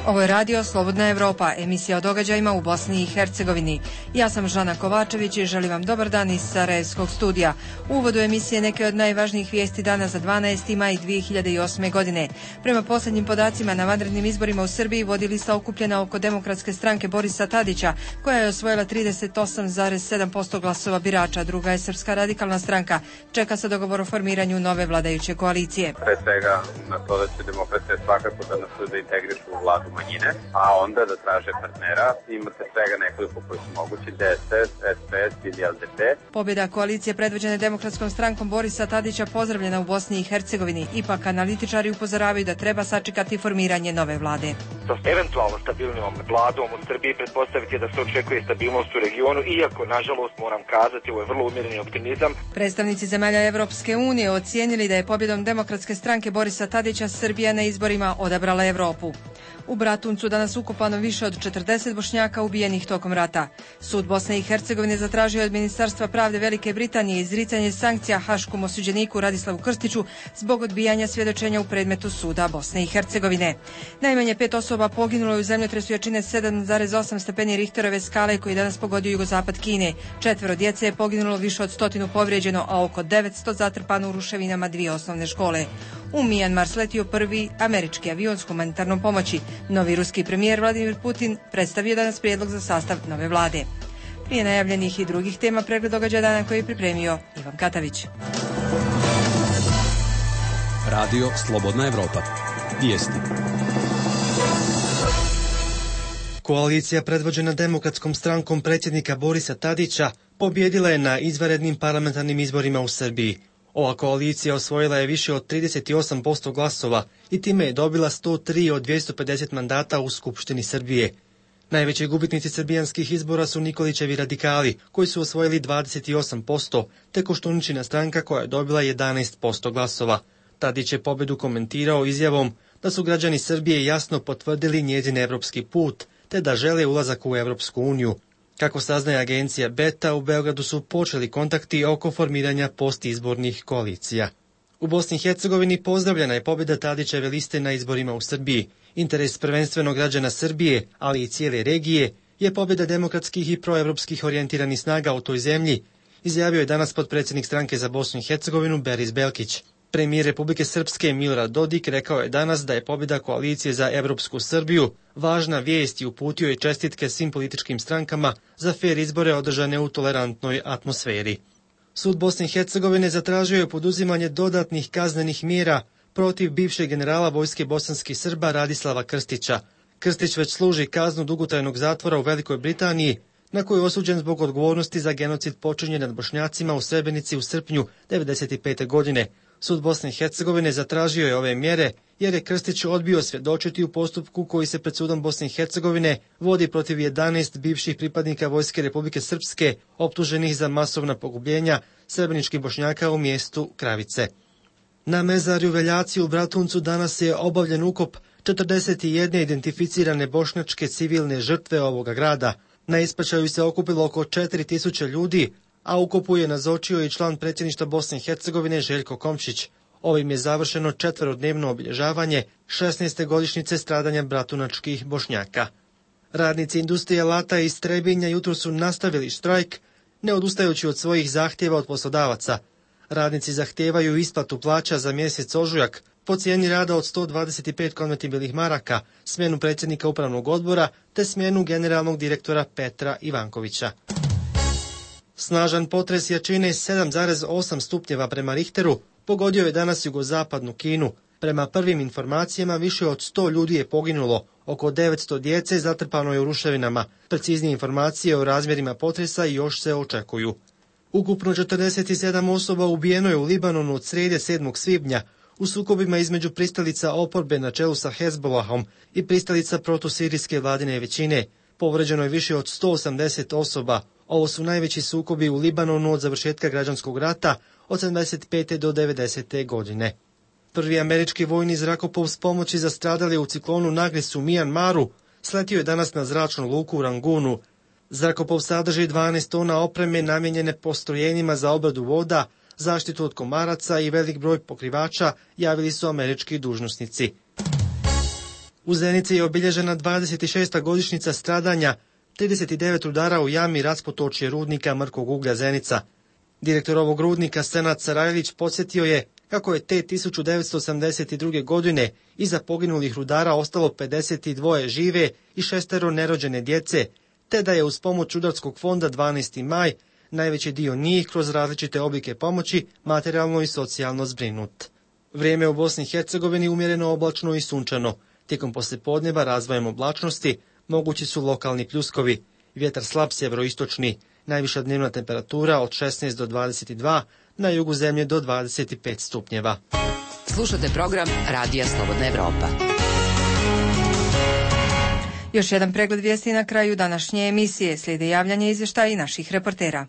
Ovo je radio Slobodna Evropa, emisija o događajima u Bosni i Hercegovini. Ja sam Žana Kovačević i želim vam dobar dan iz Sarajevskog studija. U uvodu emisije neke od najvažnijih vijesti dana za 12. maj 2008. godine. Prema posljednjim podacima na vanrednim izborima u Srbiji vodi lista okupljena oko Demokratske stranke Borisa Tadića, koja je osvojila 38,7% glasova birača. Druga je Srpska radikalna stranka. Čeka se dogovor o formiranju nove vladajuće koalicije. Pre svega na to da će demokrate svakako da nas integrišu u vladu manjine, a onda da traže partnera. Imate svega nekoliko koji su mogući, DSS, SPS ili LDP. Pobjeda koalicije predvođene Demokratskom strankom Borisa Tadića pozdravljena u Bosni i Hercegovini. Ipak analitičari upozoravaju da treba sačekati formiranje nove vlade. Sa eventualno stabilnom vladom u Srbiji pretpostaviti da se očekuje stabilnost u regionu, iako, nažalost, moram kazati, ovo je vrlo umjereni optimizam. Predstavnici zemalja Evropske unije ocijenili da je pobjedom Demokratske stranke Borisa Tadića Srbija na izborima odabrala Evropu. U Bratuncu danas ukopano više od 40 Bošnjaka ubijenih tokom rata. Sud Bosne i Hercegovine zatražio od Ministarstva pravde Velike Britanije izricanje sankcija haškom osuđeniku Radislavu Krstiću zbog odbijanja svjedočenja u predmetu suda Bosne i Hercegovine. Najmanje 5 osoba poginulo je u zemljotresu jačine 7,8 stepeni Richterove skale koji je danas pogodio jugozapad Kine. 4 djece je poginulo, više od 100 povrijeđeno, a oko 900 zatrpano u ruševinama 2 osnovne škole. U Mijanmar sletio prvi američki avion s humanitarnom pomoći. Novi ruski premijer Vladimir Putin predstavio danas prijedlog za sastav nove vlade. Prije najavljenih i drugih tema pregled događaja dana koji je pripremio Ivan Katavić. Radio Slobodna Evropa. Vijesti. Koalicija predvođena Demokratskom strankom predsjednika Borisa Tadića pobjedila je na izvanrednim parlamentarnim izborima u Srbiji. Ova koalicija osvojila je više od 38% glasova i time je dobila 103 od 250 mandata u Skupštini Srbije. Najveći gubitnici srbijanskih izbora su Nikolićevi radikali, koji su osvojili 28%, te Koštuničina stranka koja je dobila 11% glasova. Tadić je pobjedu komentirao izjavom da su građani Srbije jasno potvrdili njezin evropski put, te da žele ulazak u Evropsku uniju. Kako saznaje agencija Beta, u Beogradu su počeli kontakti oko formiranja postizbornih koalicija. U Bosni i Hercegovini pozdravljena je pobjeda Tadićeve liste na izborima u Srbiji. Interes prvenstveno građana Srbije, ali i cijele regije, je pobjeda demokratskih i proevropskih orijentiranih snaga u toj zemlji, izjavio je danas potpredsjednik stranke za Bosnu i Hercegovinu Beris Belkić. Premijer Republike Srpske Milorad Dodik rekao je danas da je pobjeda koalicije za Evropsku Srbiju važna vijest i uputio je čestitke svim političkim strankama za fer izbore održane u tolerantnoj atmosferi. Sud Bosne i Hercegovine zatražio je poduzimanje dodatnih kaznenih mjera protiv bivšeg generala vojske bosanskih Srba Radislava Krstića. Krstić već služi kaznu dugotrajnog zatvora u Velikoj Britaniji, na koju je osuđen zbog odgovornosti za genocid počinjen nad Bošnjacima u Srebrenici u srpnju 1995. godine. Sud Bosne i Hercegovine zatražio je ove mjere jer je Krstić odbio svjedočiti u postupku koji se pred sudom Bosne i Hercegovine vodi protiv 11 bivših pripadnika Vojske Republike Srpske optuženih za masovna pogubljenja srebreničkih Bošnjaka u mjestu Kravice. Na mezarju Veljaci u Bratuncu danas je obavljen ukop 41 identificirane bošnjačke civilne žrtve ovoga grada. Na ispraćaju se okupilo oko 4000 ljudi, a ukopu je nazočio i član predsjedništva Bosne i Hercegovine Željko Komšić. Ovim je završeno 4-dnevno obilježavanje 16. godišnjice stradanja bratunačkih Bošnjaka. Radnici industrije Lata iz Trebinja jutro su nastavili štrajk, ne odustajući od svojih zahtjeva od poslodavaca. Radnici zahtijevaju isplatu plaća za mjesec ožujak po cijeni rada od 125 konvertibilnih maraka, smjenu predsjednika upravnog odbora te smjenu generalnog direktora Petra Ivankovića. Snažan potres jačine 7,8 stupnjeva prema Richteru pogodio je danas jugozapadnu Kinu. Prema prvim informacijama više od 100 ljudi je poginulo, oko 900 djece zatrpano je u ruševinama. Preciznije informacije o razmjerima potresa još se očekuju. Ukupno 47 osoba ubijeno je u Libanonu od srijede 7. svibnja u sukobima između pristalica oporbe na čelu sa Hezbollahom i pristalica protusirijske vladine većine. Povređeno je više od 180 osoba. Ovo su najveći sukobi u Libanonu od završetka građanskog rata od 75. do 90. godine. Prvi američki vojni zrakoplov s pomoći za stradale u ciklonu Nagris u Mijanmaru sletio je danas na zračnu luku u Rangunu. Zrakoplov sadrži 12 tona opreme namijenjene postrojenjima za obradu voda, zaštitu od komaraca i velik broj pokrivača, javili su američki dužnosnici. U Zenici je obilježena 26. godišnjica stradanja 39 rudara u jami raspotočje rudnika mrkog uglja Zenica. Direktor ovog rudnika Senad Sarajlić podsjetio je kako je te 1982. godine iza poginulih rudara ostalo 52 žive i 6 nerođene djece, te da je uz pomoć Rudarskog fonda 12. maj najveći dio njih kroz različite oblike pomoći materijalno i socijalno zbrinut. Vrijeme u Bosni i Hercegovini umjereno oblačno i sunčano. Tijekom poslijepodneva razvojem oblačnosti mogući su lokalni pljuskovi, vjetar slab sjeveroistočni, najviša dnevna temperatura od 16 do 22, na jugu zemlje do 25 stupnjeva. Slušate program Radija Slobodna Evropa. Još jedan pregled vijesti na kraju današnje emisije. Slijede javljanje izvještaja i naših reportera.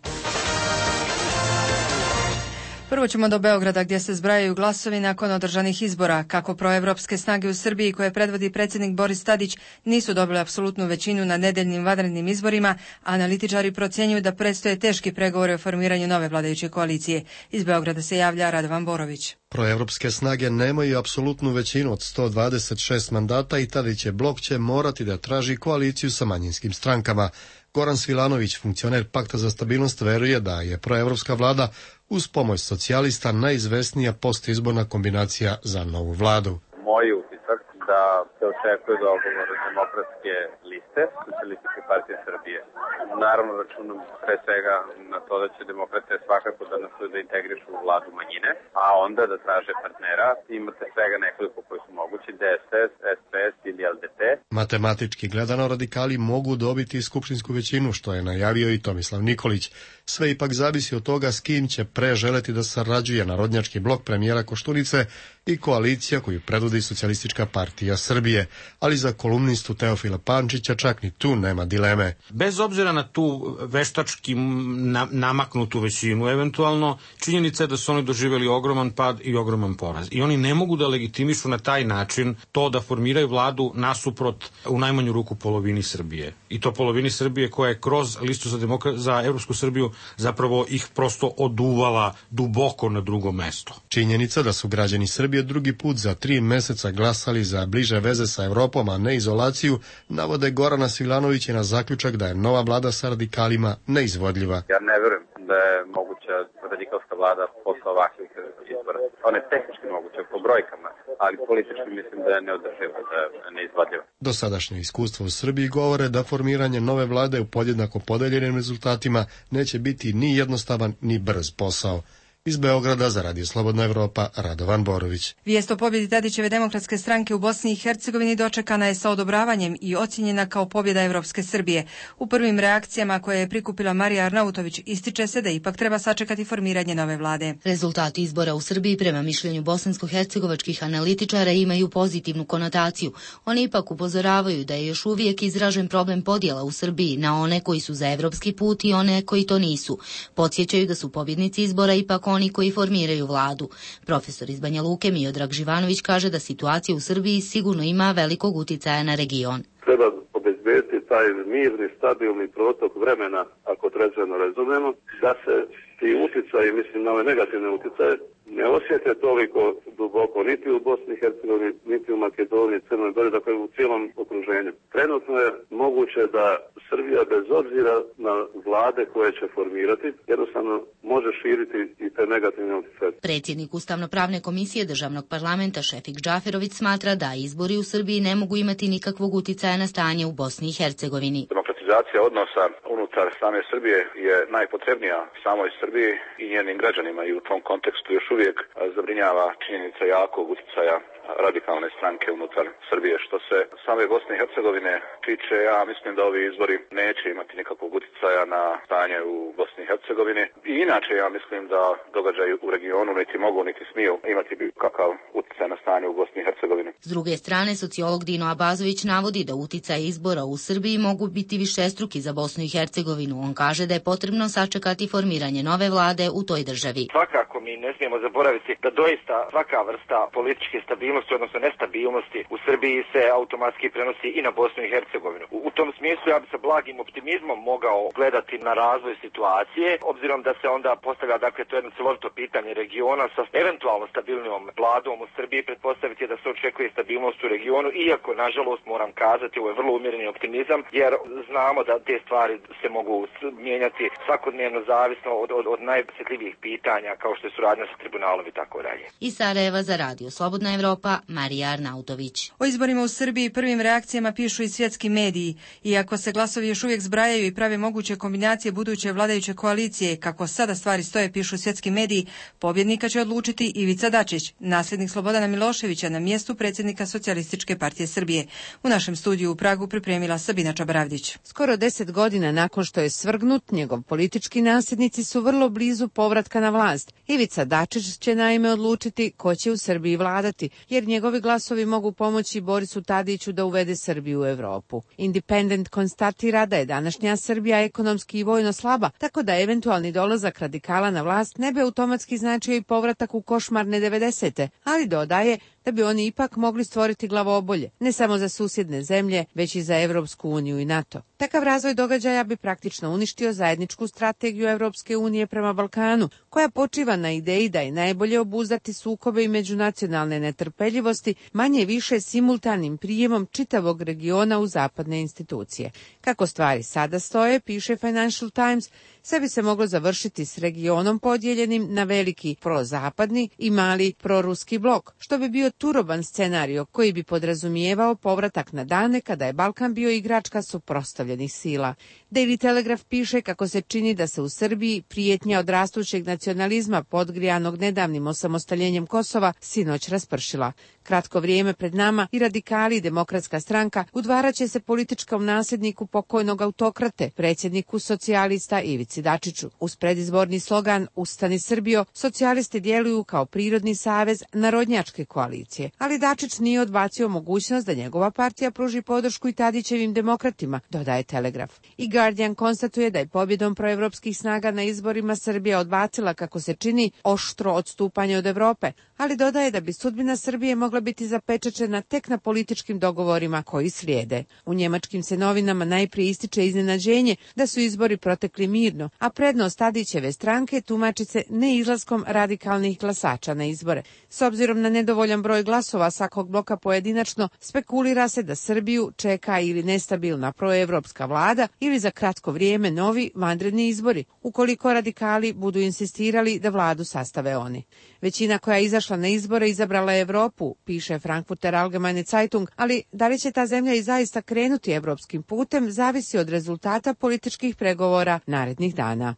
Prvo ćemo do Beograda gdje se zbrajaju glasovi nakon održanih izbora. Kako proevropske snage u Srbiji koje predvodi predsjednik Boris Tadić nisu dobile apsolutnu većinu na nedeljnim vanrednim izborima, analitičari procjenjuju da predstoje teški pregovori o formiranju nove vladajuće koalicije. Iz Beograda se javlja Radovan Borović. Proevropske snage nemaju apsolutnu većinu od 126 mandata i Tadićev blok će morati da traži koaliciju sa manjinskim strankama. Goran Svilanović, funkcioner Pakta za stabilnost, veruje da je proevropska vlada uz pomoć socijalista najizvesnija postizborna kombinacija za novu vladu. Moj utisak da se očekuje dogovor demokratske liste Socijalističke partije Srbije. Naravno računam pre svega na to da će demokrate svakako da nastoje da integrišu u vladu manjine, a onda da traže partnera. Imate svega nekoliko koji su mogući, DSS, SPS ili LDP. Matematički gledano radikali mogu dobiti skupštinsku većinu, što je najavio i Tomislav Nikolić. Sve ipak zavisi od toga s kim će pre želeti da sarađuje narodnjački blok premijera Koštunice i koalicija koju predvodi Socijalistička partija Srbije, ali za kolumnistu Teofila Pančića čak ni tu nema dileme. Bez obzira na tu veštački namaknutu većinu, eventualno činjenica je da su oni doživjeli ogroman pad i ogroman poraz. I oni ne mogu da legitimišu na taj način to da formiraju vladu nasuprot u najmanju ruku polovini Srbije. I to polovini Srbije koja je kroz listu za Evropsku Srbiju zapravo ih prosto oduvala duboko na drugo mesto. Činjenica da su građani Srbije drugi put za 3 meseca glasali za bliže veze sa Evropom, a ne izolaciju, navode Gorana Svilanovića na zaključak da je nova vlada sa radikalima neizvodljiva. Ja ne verujem da je moguća radikalska vlada posle ovakvih izbora. Ona je tehnički moguća po brojkama, ali politički mislim da je neodrživa, da je neizvodljiva. Dosadašnje iskustvo u Srbiji govore da formiranje nove vlade u podjednako podeljenim rezultatima neće biti ni jednostavan ni brz posao. Iz Beograda za Radio Slobodna Evropa, Radovan Borović. Vijest o pobjedi Tadićeve demokratske stranke u Bosni i Hercegovini dočekana je sa odobravanjem i ocjenjena kao pobjeda Evropske Srbije. U prvim reakcijama koje je prikupila Marija Arnautović ističe se da ipak treba sačekati formiranje nove vlade. Rezultati izbora u Srbiji prema mišljenju bosansko-hercegovačkih analitičara imaju pozitivnu konotaciju. Oni ipak upozoravaju da je još uvijek izražen problem podjela u Srbiji na one koji su za evropski put i one koji to nisu. Podsjećaju da su pobjednici izbora ipak oni koji formiraju vladu. Profesor iz Banja Luke Miodrag Živanović kaže da situacija u Srbiji sigurno ima velikog uticaja na region. Treba obezbediti taj mirni, stabilni protok vremena, ako trezveno razumemo, da se ti uticaji, mislim na ove negativne uticaje, ne osjete toliko duboko niti u Bosni i Hercegovini, niti u Makedoniji, Crnoj Gori, dakle u cijelom okruženju. Trenutno je moguće da Srbija bez obzira na vlade koje će formirati, jednostavno može širiti i te negativne uticaje. Predsjednik Ustavno-pravne komisije državnog parlamenta Šefik Džaferović smatra da izbori u Srbiji ne mogu imati nikakvog uticaja na stanje u Bosni i Hercegovini. Demokratizacija odnosa unutar same Srbije je najpotrebnija samoj Srbiji i njenim građanima i u tom kontekstu još uvijek zabrinjava činjenica jakog uticaja radikalne stranke unutar Srbije. Što se same Bosne i Hercegovine tiče, ja mislim da ovi izbori neće imati nikakvog uticaja na stanje u Bosni i Hercegovini. I inače ja mislim da događaji u regionu niti mogu niti smiju imati kakav uticaj na stanje u Bosni i Hercegovini. S druge strane, sociolog Dino Abazović navodi da uticaje izbora u Srbiji mogu biti višestruki za Bosnu i Hercegovinu. On kaže da je potrebno sačekati formiranje nove vlade u toj državi. Svakako mi ne smijemo zaboraviti da doista svaka vrsta političke stabilnosti nestabilnosti, odnosno nestabilnosti u Srbiji se automatski prenosi i na Bosnu i Hercegovinu. U tom smislu ja bi sa blagim optimizmom mogao gledati na razvoj situacije, obzirom da se onda postavlja, dakle, to je jedno celovito pitanje regiona sa eventualno stabilnijom vladom u Srbiji. Pretpostaviti je da se očekuje stabilnost u regionu, iako, nažalost, moram kazati, ovo je vrlo umjereni optimizam, jer znamo da te stvari se mogu mijenjati svakodnevno zavisno od najosjetljivijih pitanja, kao što je suradnja sa tribunalom i tako dalje. Iz Sarajeva za Radio Slobodna Evropa, Marija Arnautović. O izborima u Srbiji prvim reakcijama pišu i svjetski mediji. Iako se glasovi još uvijek zbrajaju i prave moguće kombinacije buduće vladajuće koalicije, kako sada stvari stoje, pišu svjetski mediji, pobjednika će odlučiti Ivica Dačić, nasljednik Slobodana Miloševića na mjestu predsjednika Socijalističke partije Srbije. U našem studiju u Pragu pripremila Sabina Čabaravdić. Skoro 10 godina nakon što je svrgnut, njegov politički nasljednici su vrlo blizu povratka na vlast. Ivica Dačić će naime odlučiti ko će u Srbiji vladati, jer njegovi glasovi mogu pomoći Borisu Tadiću da uvede Srbiju u Evropu. Independent konstatira da je današnja Srbija ekonomski i vojno slaba, tako da eventualni dolazak radikala na vlast ne bi automatski značio i povratak u košmarne 90. ali dodaje da bi oni ipak mogli stvoriti glavobolje, ne samo za susjedne zemlje, već i za Evropsku uniju i NATO. Takav razvoj događaja bi praktično uništio zajedničku strategiju Evropske unije prema Balkanu, koja počiva na ideji da je najbolje obuzdati sukobe i međunacionalne netrpeljivosti, manje više simultanim prijemom čitavog regiona u zapadne institucije. Kako stvari sada stoje, piše Financial Times, sve bi se moglo završiti s regionom podijeljenim na veliki prozapadni i mali proruski blok, što bi bio turoban scenario koji bi podrazumijevao povratak na dane kada je Balkan bio igračka suprotstavljenih sila. Daily Telegraph piše kako se čini da se u Srbiji prijetnja od rastućeg nacionalizma podgrijanog nedavnim osamostaljenjem Kosova sinoć raspršila. Kratko vrijeme pred nama i radikali i Demokratska stranka udvaraće se političkom nasljedniku pokojnog autokrate, predsjedniku socijalista Ivici Dačiću. Uz predizborni slogan Ustani Srbijo, socijalisti djeluju kao prirodni savez narodnjačke koalicije, ali Dačić nije odbacio mogućnost da njegova partija pruži podršku i Tadićevim demokratima, dodaje Telegraf. I Guardian konstatuje da je pobjedom proevropskih snaga na izborima Srbija odbacila, kako se čini, oštro odstupanje od Evrope, ali dodaje da bi sudbina Srbije mogla biti zapečaćena tek na političkim dogovorima koji slijede. U njemačkim se novinama najprije ističe iznenađenje da su izbori protekli mirno, a prednost Tadićeve stranke tumači se neizlaskom radikalnih glasača na izbore. S obzirom na nedovoljan broj glasova svakog bloka pojedinačno, spekulira se da Srbiju čeka ili nestabilna proevropska vlada ili za kratko vrijeme novi vanredni izbori, ukoliko radikali budu insistirali da vladu sastave oni. Većina koja je izašla na izbore izabrala je Evropu, piše Frankfurter Allgemeine Zeitung, ali da li će ta zemlja i zaista krenuti evropskim putem zavisi od rezultata političkih pregovora narednih dana.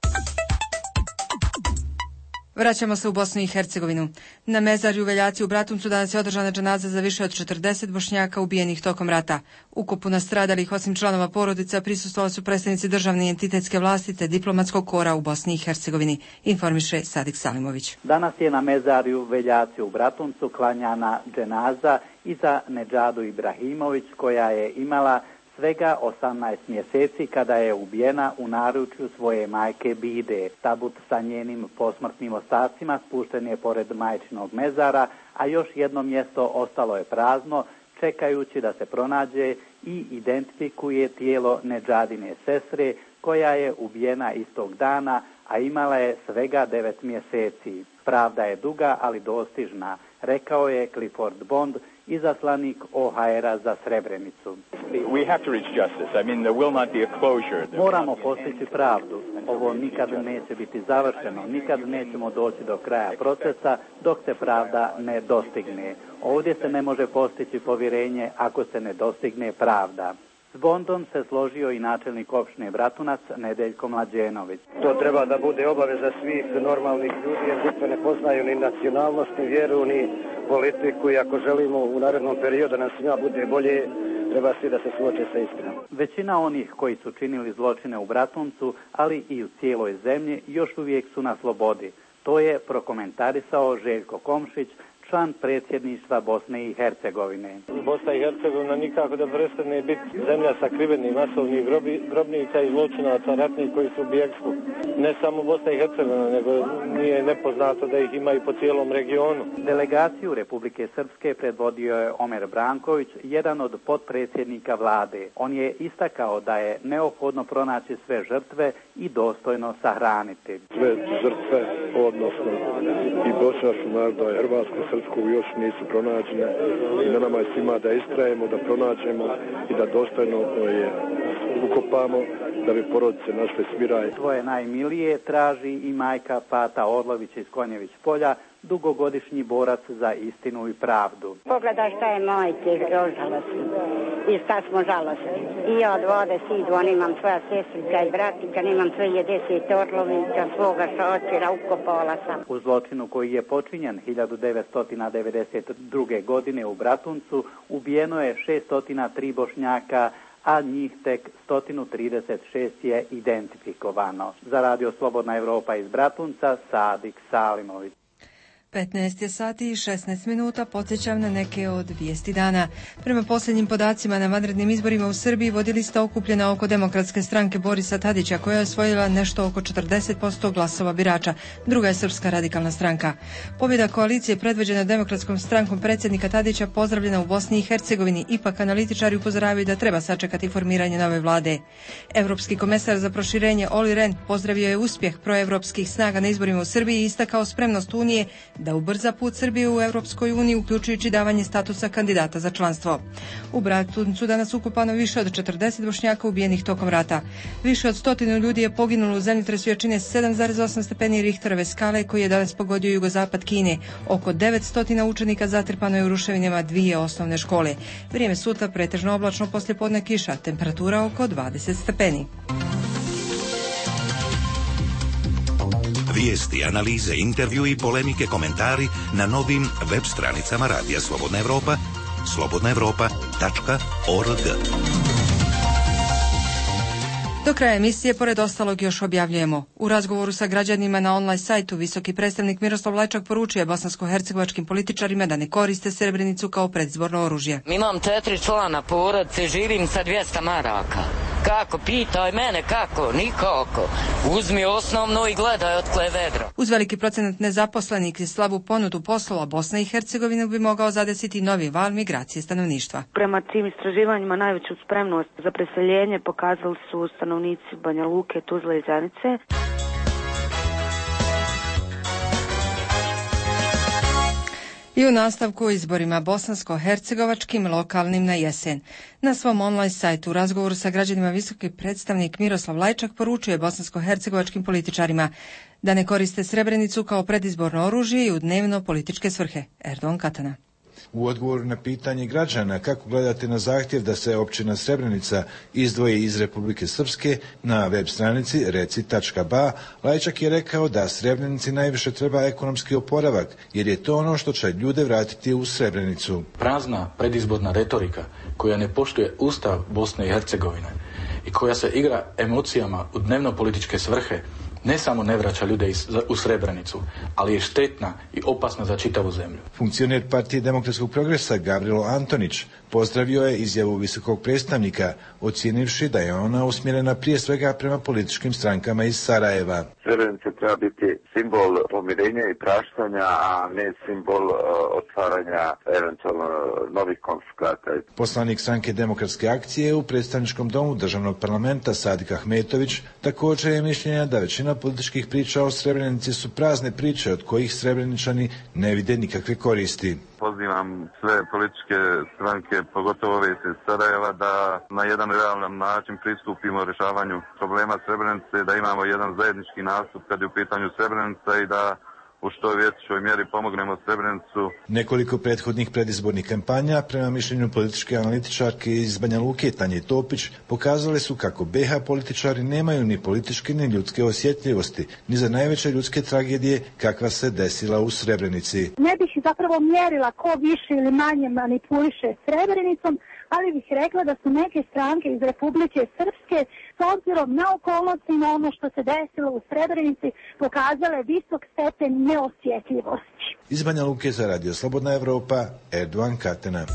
Vraćamo se u Bosnu i Hercegovinu. Na mezarju u Veljaci u Bratuncu danas je održana dženaza za više od 40 Bošnjaka ubijenih tokom rata. Ukopu nastradalih, osim članova porodica, prisustvovali su predstavnici državne i entitetske vlasti te diplomatskog kora u Bosni i Hercegovini, informiše Sadik Salimović. Danas je na mezarju u Veljaci u Bratuncu klanjana dženaza i za Nedžadu Ibrahimović, koja je imala svega 18 mjeseci kada je ubijena u naručju svoje majke Bide. Tabut sa njenim posmrtnim ostacima spušten je pored majčinog mezara, a još jedno mjesto ostalo je prazno, čekajući da se pronađe i identifikuje tijelo Nedžadine sestre, koja je ubijena istog dana, a imala je svega 9 mjeseci. Pravda je duga, ali dostižna, rekao je Clifford Bond, izaslanik OHR-a za Srebrenicu. Moramo postići pravdu. Ovo nikad neće biti završeno, nikad nećemo doći do kraja procesa dok se pravda ne dostigne. Ovdje se ne može postići povjerenje ako se ne dostigne pravda. S Bondom se složio i načelnik opštine Bratunac Nedeljko Mlađenović. To treba da bude obaveza svih normalnih ljudi, jer žrtve ne poznaju ni nacionalnost, ni vjeru, ni politiku, i ako želimo u narednom periodu da nam svima bude bolje, treba svi da se suoče sa istinom. Većina onih koji su činili zločine u Bratuncu, ali i u cijeloj zemlji, još uvijek su na slobodi. To je prokomentarisao Željko Komšić, član predsjedništva Bosne i Hercegovine. Bosna i Hercegovina nikako da prestane biti zemlja sakrivenih masovnih grobnica i zločinaca ratnih koji su u bjegstvu. Ne samo Bosna i Hercegovina, nego nije nepoznato da ih ima i po cijelom regionu. Delegaciju Republike Srpske predvodio je Omer Branković, jedan od potpredsjednika vlade. On je istakao da je neophodno pronaći sve žrtve i dostojno sahraniti. Sve žrtve, odnosno i bošnjačkog naroda, hrvatsko-srpskog još nisu pronađene i na nama je svima da istrajemo, da pronađemo i da dostojno je ukopamo da bi porodice našle smiraj. Svoje najmilije traži i majka Pata Orlović iz Konjević polja, dugogodišnji borac za istinu i pravdu. Pogledaj šta je majke žalostno i šta smo žalostni. I ja od vode sidu, on imam svoja sestrica i bratica, imam svoje 10 Orlovića, svoga šoćera, ukopala sam. U zločinu koji je počinjen 1992. godine u Bratuncu ubijeno je 603 Bošnjaka, a njih tek 136 je identifikovano. Za Radio Slobodna Evropa iz Bratunca, Sadik Salimović. 15 je sati i 16 minuta, podsjećam na neke od vijesti dana. Prema posljednjim podacima na vanrednim izborima u Srbiji vodi lista okupljena oko Demokratske stranke Borisa Tadića, koja je osvojila nešto oko 40% glasova birača. Druga je Srpska radikalna stranka. Pobjeda koalicije predvođena Demokratskom strankom predsjednika Tadića pozdravljena u Bosni i Hercegovini, ipak analitičari upozoravaju da treba sačekati formiranje nove vlade. Evropski komesar za proširenje Olli Rehn pozdravio je uspjeh proevropskih snaga na izborima u Srbiji i istakao spremnost Unije da ubrza put Srbije u Europskoj uniji, uključujući davanje statusa kandidata za članstvo. U Bratuncu danas ukopano više od 40 Bošnjaka ubijenih tokom rata. Više od 100 ljudi je poginulo u zemljotresu jačine 7,8 stepeni Richterove skale koji je danas pogodio jugozapad Kine. Oko 900 učenika zatrpano je u ruševinama 2 osnovne škole. Vrijeme sutra pretežno oblačno, poslijepodne kiša, temperatura oko 20 stepeni. Vijesti, analize, intervju i polemike, komentari na novim web stranicama Radija Slobodna Evropa, slobodnaevropa.org. Do kraja emisije, pored ostalog, još objavljujemo. U razgovoru sa građanima na online sajtu visoki predstavnik Miroslav Lajčak poručuje bosansko-hercegovačkim političarima da ne koriste Srebrenicu kao predizborno oružje. Imam 4 člana porodice, živim sa 200 maraka. Kako? Pitaj mene kako? Nikako. Uzmi osnovno i gledaj otkle je vedro. Uz veliki procenat nezaposlenih i slabu ponudu poslova, Bosna i Hercegovina bi mogao zadesiti novi val migracije stanovništva. Prema tim istraživanjima najveću spremnost za preseljenje pokazali su stanovnici Banja Luke, Tuzle i Zenice. I u nastavku o izborima bosansko-hercegovačkim lokalnim na jesen. Na svom online sajtu u razgovoru sa građanima visoki predstavnik Miroslav Lajčak poručuje bosansko-hercegovačkim političarima da ne koriste Srebrenicu kao predizborno oružje i u dnevno političke svrhe. Erdogan Katana. U odgovoru na pitanje građana kako gledate na zahtjev da se općina Srebrenica izdvoji iz Republike Srpske, na web stranici reci.ba Lajčak je rekao da Srebrenici najviše treba ekonomski oporavak, jer je to ono što će ljude vratiti u Srebrenicu. Prazna predizborna retorika koja ne poštuje Ustav Bosne i Hercegovine i koja se igra emocijama u dnevno političke svrhe ne samo ne vraća ljude u Srebrenicu, ali je štetna i opasna za čitavu zemlju. Funkcioner Partije demokratskog progresa Gavrilo Antonić pozdravio je izjavu visokog predstavnika, ocijenivši da je ona usmjerena prije svega prema političkim strankama iz Sarajeva. Srebrenica treba biti simbol pomirenja i praštanja, a ne simbol otvaranja eventualno novih konflikata. Poslanik stranke Demokratske akcije u predstavničkom domu državnog parlamenta Sadik Ahmetović također je mišljenja da većina političkih priča o Srebrenici su prazne priče od kojih Srebreničani ne vide nikakve koristi. Pozivam sve političke stranke, pogotovo ove iz Sarajeva, da na jedan realan način pristupimo rješavanju problema Srebrenice, da imamo jedan zajednički nastup kad je u pitanju Srebrenica i da u što većoj mjeri pomognemo Srebrenicu. Nekoliko prethodnih predizbornih kampanja, prema mišljenju političke analitičarke iz Banja Luke Tanje Topić, pokazale su kako BiH političari nemaju ni političke ni ljudske osjetljivosti, ni za najveće ljudske tragedije kakva se desila u Srebrenici. Ne bih zapravo mjerila ko više ili manje manipuliše Srebrenicom, ali bih rekla da su neke stranke iz Republike Srpske s obzirom na okolnosti na ono što se desilo u Srebrenici pokazale visok stepen neosjetljivosti. Iz Banja Luke za Radio Slobodna Evropa, Erdogan Katena.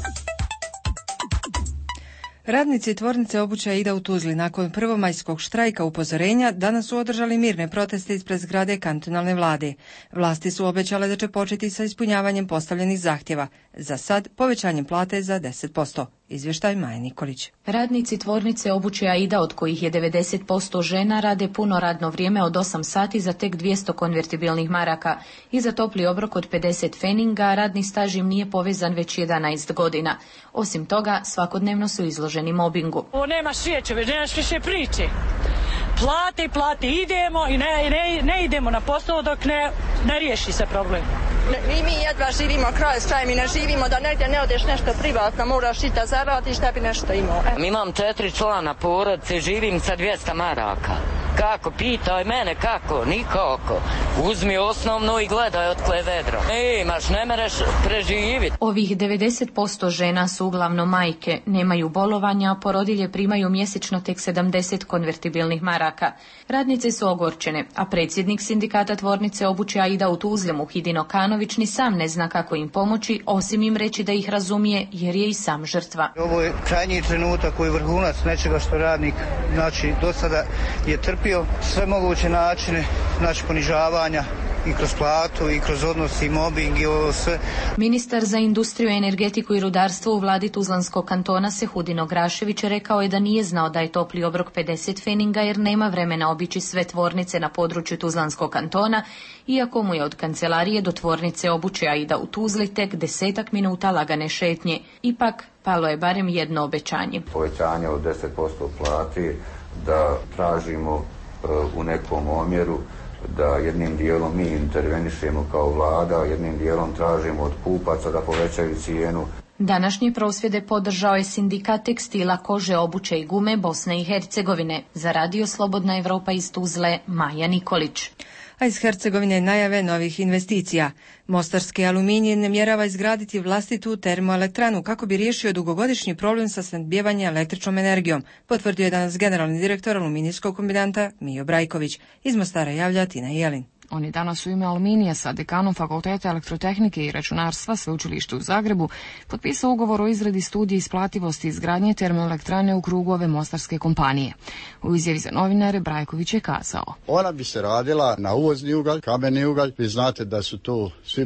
Radnici tvornice obuće Aida u Tuzli nakon prvomajskog štrajka upozorenja danas su održali mirne proteste ispred zgrade kantonalne vlade. Vlasti su obećale da će početi sa ispunjavanjem postavljenih zahtjeva. Za sad povećanjem plate za 10%. Izvještaj Maja Nikolić. Radnici tvornice obuće Aida, od kojih je 90% žena, rade puno radno vrijeme od 8 sati za tek 200 konvertibilnih maraka i za topli obrok od 50 feninga. Radni staž im nije povezan već 11 godina. Osim toga, svakodnevno su izloženi mobingu. Ovo nema svijeće, nemaš više priče. Plate, idemo i ne idemo na posao dok ne riješi se problem. I mi jedva živimo kraj s krajem i ne živimo da negdje ne odeš nešto privatno, moraš i da zaradiš da bi nešto imao. Imam 4 člana porodice, živim sa 200 maraka. Kako? Pitaj mene kako? Nikako. Uzmi osnovno i gledaj otkle vedro. Imaš, ne mereš preživiti. Ovih 90% žena su uglavnom majke, nemaju bolovanja, a porodilje primaju mjesečno tek 70 konvertibilnih maraka. Radnice su ogorčene, a predsjednik sindikata tvornice obuće Aida u Tuzli, Muhidin Okanović, ni sam ne zna kako im pomoći, osim im reći da ih razumije, jer je i sam žrtva. Ovo je krajnji trenutak koji je vrhunac nečega što radnik, do sada je trpio sve moguće načine, ponižavanja i kroz platu i kroz odnos i mobbing i ovo sve. Ministar za industriju, energetiku i rudarstvo u vladi Tuzlanskog kantona Sehudin Ograšević rekao je da nije znao da je topli obrok 50 feninga jer nema vremena obići sve tvornice na području Tuzlanskog kantona, iako mu je od kancelarije do tvornice obuće Aida u Tuzli tek 10 minuta lagane šetnje. Ipak, palo je barem jedno obećanje. Povećanje od 10% plati, da tražimo u nekom omjeru, da jednim dijelom mi intervenišemo kao vlada, jednim dijelom tražimo od kupaca da povećaju cijenu. Današnje prosvjede podržao je sindikat tekstila, kože, obuće i gume Bosne i Hercegovine. Za Radio Slobodna Evropa iz Tuzle, Maja Nikolić. A iz Hercegovine najave novih investicija. Mostarski aluminij namjerava izgraditi vlastitu termoelektranu kako bi riješio dugogodišnji problem sa snabdijevanjem električnom energijom, potvrdio je danas generalni direktor aluminijskog kombinata Mijo Brajković. Iz Mostara javlja Tina Jelin. On je danas u ime Aluminija sa dekanom Fakulteta elektrotehnike i računarstva Sveučilišta u Zagrebu potpisao ugovor o izradi studije isplativosti izgradnje termoelektrane u krugu ove mostarske kompanije. U izjavi za novinare Brajković je kazao: ona bi se radila na uvozni ugalj, kameni ugalj. Vi znate da su tu svi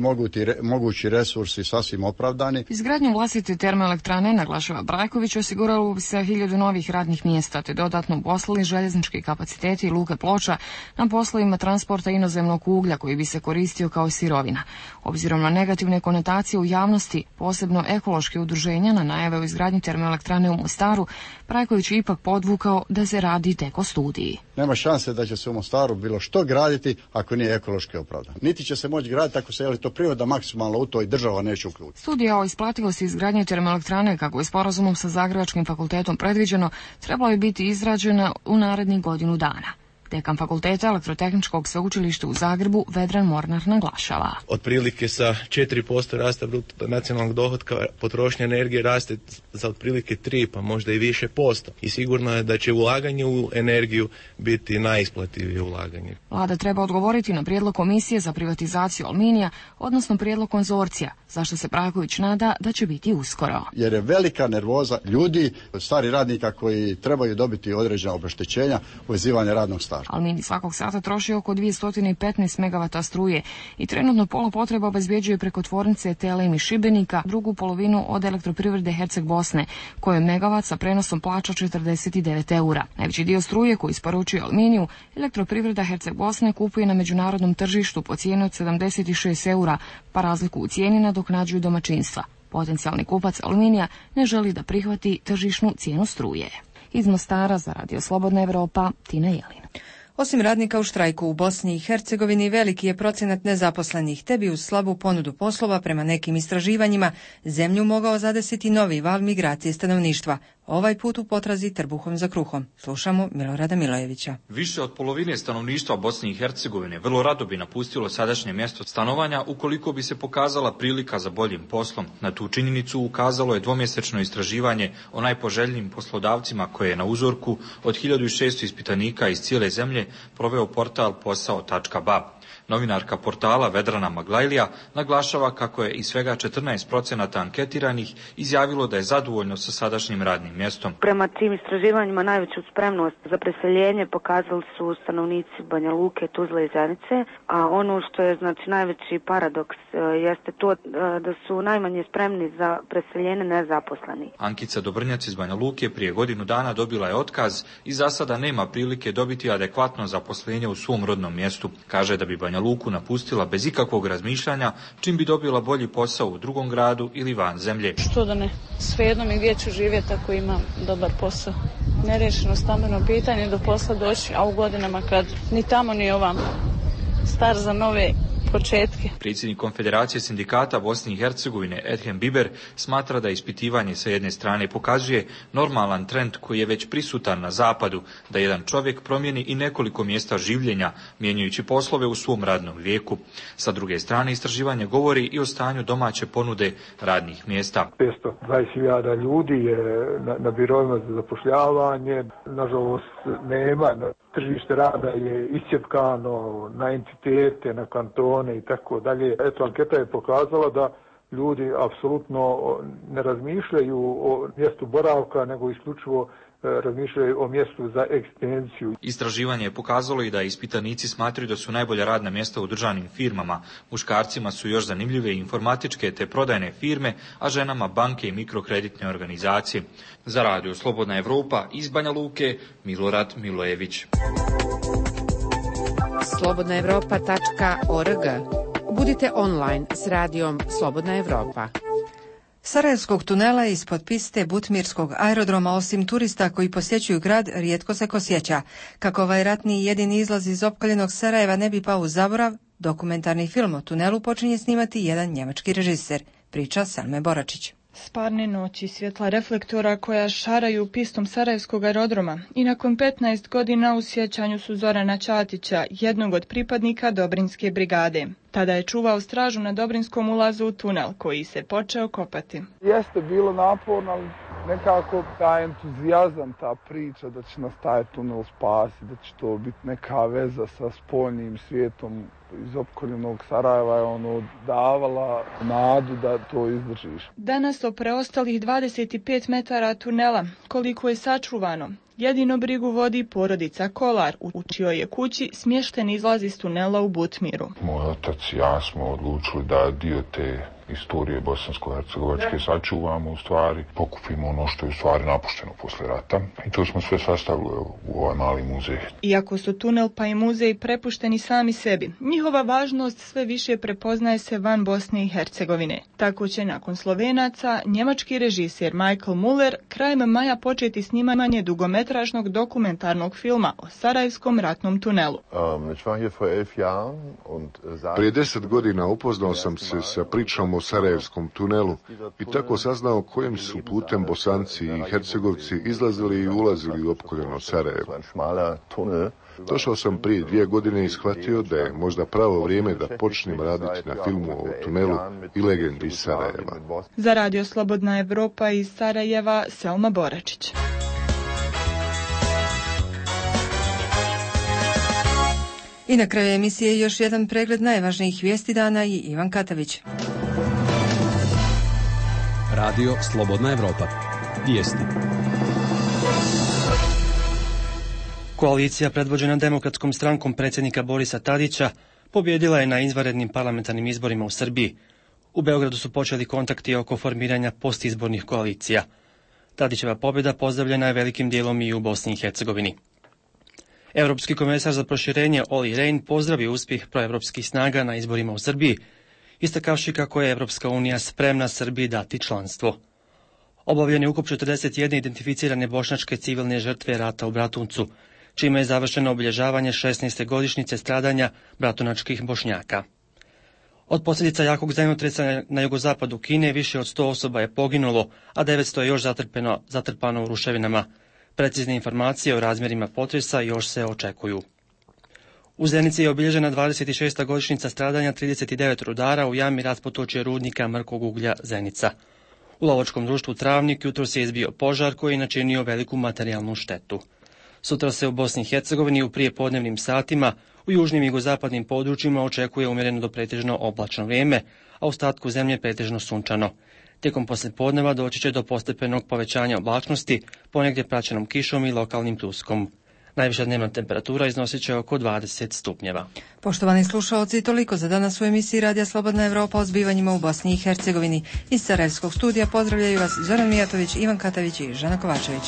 mogući resursi sasvim opravdani. Izgradnjom vlastite termoelektrane, naglašava Brajković, osiguralo bi se 1000 novih radnih mjesta te dodatno uposlili željeznički kapaciteti i luke Ploča na poslovima transporta inozemnog uglja koji bi se koristio kao sirovina. Obzirom na negativne konotacije u javnosti, posebno ekološke udruženja na najave o izgradnji termoelektrane u Mostaru, Brajković je ipak podvukao da se radi tek o studiji. Nema šanse da će se u Mostaru bilo što graditi ako nije ekološki opravdano. Niti će se moći graditi ako se to priroda maksimalno u to i država neće uključiti. Studija o isplativosti izgradnje termoelektrane, kako je sporazumom sa Zagrebačkim fakultetom predviđeno, trebala bi biti izrađena u narednih godinu dana. Dekan Fakulteta elektrotehničkog sveučilišta u Zagrebu Vedran Mornar naglašava: otprilike sa 4% rasta bruto nacionalnog dohotka potrošnja energije raste za otprilike 3, pa možda i više posto. I sigurno je da će ulaganje u energiju biti najisplativije ulaganje. Vlada treba odgovoriti na prijedlog Komisije za privatizaciju Aluminija, odnosno prijedlog konzorcija, zašto se Brajković nada da će biti uskoro. Jer je velika nervoza ljudi, stari radnika koji trebaju dobiti određena obeštećenja, uvezivanje radnog staža. Aluminij svakog sata troši oko 215 MW struje i trenutno pola potreba obezbjeđuje preko tvornice TLM iz Šibenika, drugu polovinu od elektroprivrede Herceg Bosne, kojoj megavat sa prenosom plaća 49 eura. Najveći dio struje koji isporučuje Aluminiju, elektroprivreda Herceg Bosne kupuje na međunarodnom tržištu po cijeni od 76 eura, pa razliku u cijeni nadoknađuju domaćinstva. Potencijalni kupac Aluminija ne želi da prihvati tržišnu cijenu struje. Iz Mostara za Radio Slobodna Evropa, Tina Jelin. Osim radnika u štrajku u Bosni i Hercegovini, veliki je procenat nezaposlenih, te bi uz slabu ponudu poslova prema nekim istraživanjima zemlju mogao zadesiti novi val migracije stanovništva, ovaj put u potrazi trbuhom za kruhom. Slušamo Milorada Milojevića. Više od polovine stanovništva Bosne i Hercegovine vrlo rado bi napustilo sadašnje mjesto stanovanja ukoliko bi se pokazala prilika za boljim poslom. Na tu činjenicu ukazalo je dvomjesečno istraživanje o najpoželjnijim poslodavcima koje je na uzorku od 1600 ispitanika iz cijele zemlje proveo portal posao.ba. Novinarka portala Vedrana Maglajlija naglašava kako je iz svega 14% anketiranih izjavilo da je zadovoljno sa sadašnjim radnim mjestom. Prema tim istraživanjima najveću spremnost za preseljenje pokazali su stanovnici Banja Luke, Tuzle i Zenice, a ono što je najveći paradoks jeste to da su najmanje spremni za preseljenje nezaposleni. Ankica Dobrnjac iz Banja Luke prije godinu dana dobila je otkaz i za sada nema prilike dobiti adekvatno zaposlenje u svom rodnom mjestu. Kaže da bi Banja Luku napustila bez ikakvog razmišljanja, čim bi dobila bolji posao u drugom gradu ili van zemlje. Što da ne, svejedno mi gdje ću živjeti ako imam dobar posao. Nerešeno stambeno pitanje do posla doći, a u godinama kad ni tamo ni ovam star za nove početke. Predsjednik Konfederacije sindikata Bosne i Hercegovine Edhem Biber smatra da ispitivanje sa jedne strane pokazuje normalan trend koji je već prisutan na zapadu, da jedan čovjek promijeni i nekoliko mjesta življenja, mijenjajući poslove u svom radnom vijeku. Sa druge strane, istraživanje govori i o stanju domaće ponude radnih mjesta. 520.000 ljudi je na birovima za zapošljavanje, nažalost nema. Tržište rada je iscjepkano na entitete, na kantone i tako dalje. Eto, anketa je pokazala da ljudi apsolutno ne razmišljaju o mjestu boravka, nego isključivo razmišljaju o mjestu za egzistenciju. Istraživanje je pokazalo i da ispitanici smatraju da su najbolja radna mjesta u državnim firmama. Muškarcima su još zanimljive informatičke te prodajne firme, a ženama banke i mikrokreditne organizacije. Za Radio Slobodna Evropa iz Banja Luke, Milorad Milojević. slobodnaevropa.org. Budite online s radijom Slobodna Evropa. Sarajevskog tunela ispod piste Butmirskog aerodroma, osim turista koji posjećuju grad, rijetko se ko sjeća. Kako ovaj ratni jedini izlaz iz opkoljenog Sarajeva ne bi pao u zaborav, dokumentarni film o tunelu počinje snimati jedan njemački režiser. Priča Selme Boračić. Sparne noći, svjetla reflektora koja šaraju pistom Sarajevskog aerodroma i nakon 15 godina u sjećanju su Zorana Ćatića, jednog od pripadnika Dobrinske brigade. Tada je čuvao stražu na Dobrinskom ulazu u tunel koji se počeo kopati. Jeste bilo naporno, ali nekako taj entuzijazam, ta priča da će nas taj tunel spasiti, da će to biti neka veza sa spoljnim svijetom iz opkoljenog Sarajeva je davala nadu da to izdržiš. Danas o preostalih 25 metara tunela, koliko je sačuvano, jedino brigu vodi porodica Kolar, u čijoj je kući smješten izlaz iz tunela u Butmiru. Moj otac i ja smo odlučili da dio te istorije bosansko-hercegovačke sačuvamo, u stvari pokupimo ono što je u stvari napušteno posle rata i to smo sve sastavili u ovaj mali muzej. Iako su tunel pa i muzej prepušteni sami sebi, njihova važnost sve više prepoznaje se van Bosne i Hercegovine. Tako će nakon Slovenaca njemački režiser Michael Muller krajem maja početi snimanje dugometražnog dokumentarnog filma o Sarajevskom ratnom tunelu. Prije 10 godina upoznao sam se sa pričom o Sarajevskom tunelu i tako saznao kojim su putem Bosanci i Hercegovci izlazili i ulazili u opkoljeno Sarajevo. Došao sam prije 2 godine i shvatio da je možda pravo vrijeme da počnem raditi na filmu o tunelu i legendi iz Sarajeva. Za Radio Slobodna Evropa iz Sarajeva, Selma Boračić. I na kraju emisije još jedan pregled najvažnijih vijesti dana i Ivan Katavić. Radio Slobodna Evropa. Vijesti. Koalicija predvođena Demokratskom strankom predsjednika Borisa Tadića pobjedila je na izvanrednim parlamentarnim izborima u Srbiji. U Beogradu su počeli kontakti oko formiranja postizbornih koalicija. Tadićeva pobjeda pozdravljena je velikim dijelom i u Bosni i Hercegovini. Europski komesar za proširenje Olli Rehn pozdravio uspjeh proevropskih snaga na izborima u Srbiji, istakavši kako je Evropska unija spremna Srbiji dati članstvo. Obavljen je ukop 41 identificirane bošnjačke civilne žrtve rata u Bratuncu, čime je završeno obilježavanje 16. godišnjice stradanja bratunačkih Bošnjaka. Od posljedica jakog zemljotresa na jugozapadu Kine više od 100 osoba je poginulo, a 900 je još zatrpano u ruševinama. Precizne informacije o razmjerima potresa još se očekuju. U Zenici je obilježena 26. godišnjica stradanja 39 rudara u jami raspotočje rudnika mrkog uglja Zenica. U lovačkom društvu Travnik jutros je izbio požar koji je načinio veliku materijalnu štetu. Sutra se u Bosni i Hercegovini u prijepodnevnim satima u južnim i jugozapadnim područjima očekuje umjereno do pretežno oblačno vrijeme, a u ostatku zemlje pretežno sunčano. Tijekom poslijepodneva doći će do postepenog povećanja oblačnosti, ponegdje praćenom kišom i lokalnim pljuskom. Najviša dnevna temperatura iznosit će oko 20 stupnjeva. Poštovani slušalci, toliko za danas u emisiji Radija Slobodna Evropa o zbivanjima u Bosni i Hercegovini. Iz Sarajevskog studija pozdravljaju vas Zoran Mijatović, Ivan Katavić i Žana Kovačević.